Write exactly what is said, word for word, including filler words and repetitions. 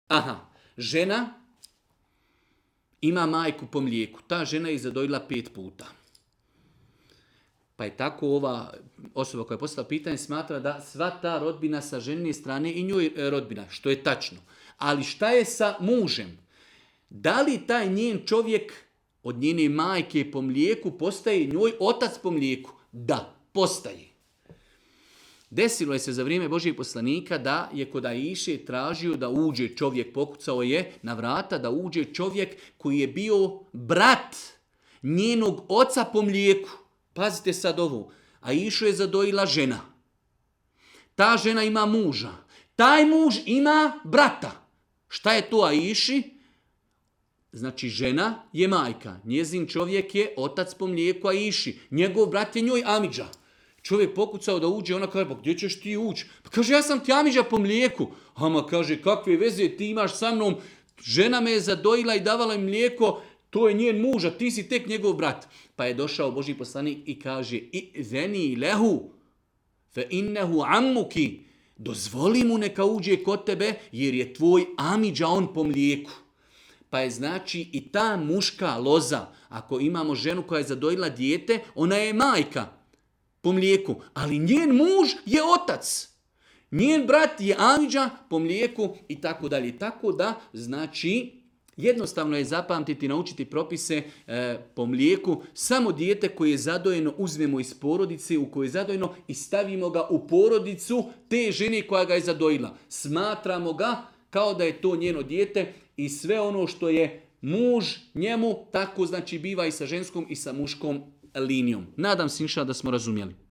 Aha, žena ima majku po mlijeku. Ta žena je zadojila pet puta. Pa je tako ova osoba koja je postavila pitanje smatra da sva ta rodbina sa ženine strane i njoj rodbina, što je tačno. Ali šta je sa mužem? Da li taj njen čovjek od njene majke po mlijeku postaje njoj otac po mlijeku? Da, postaje. Desilo je se za vrijeme Božijeg poslanika da je kod Aiše tražio da uđe čovjek, pokucao je na vrata da uđe čovjek koji je bio brat njenog oca po mlijeku. Pazite sad ovo, Aišu je zadojila žena. Ta žena ima muža. Taj muž ima brata. Šta je to Aiši? Znači žena je majka. Njezin čovjek je otac po mlijeku Aiši. Njegov brat je njoj amidža. Čovjek pokucao da uđe, ona kaže, pa gdje ćeš ti ući? Pa kaže, ja sam ti amidža po mlijeku. Ama kaže, kakve veze ti imaš sa mnom? Žena me je zadojila i davala im mlijeko, to je njen muž, a ti si tek njegov brat. Pa je došao Božji poslanik i kaže, i zeni lehu, fe innehu ammuki, dozvoli mu neka uđe kod tebe, jer je tvoj amidža on po mlijeku. Pa je znači i ta muška loza, ako imamo ženu koja je zadojila dijete, ona je majka po mlijeku, ali njen muž je otac. Njen brat je amidža po mlijeku i tako dalje. Tako da, znači, jednostavno je zapamtiti, naučiti propise e, po mlijeku. Samo dijete koje je zadojeno uzmemo iz porodice u kojoj je zadojeno i stavimo ga u porodicu te žene koja ga je zadojila. Smatramo ga kao da je to njeno dijete i sve ono što je muž njemu, tako znači biva i sa ženskom i sa muškom linijom. Nadam se inša da smo razumjeli.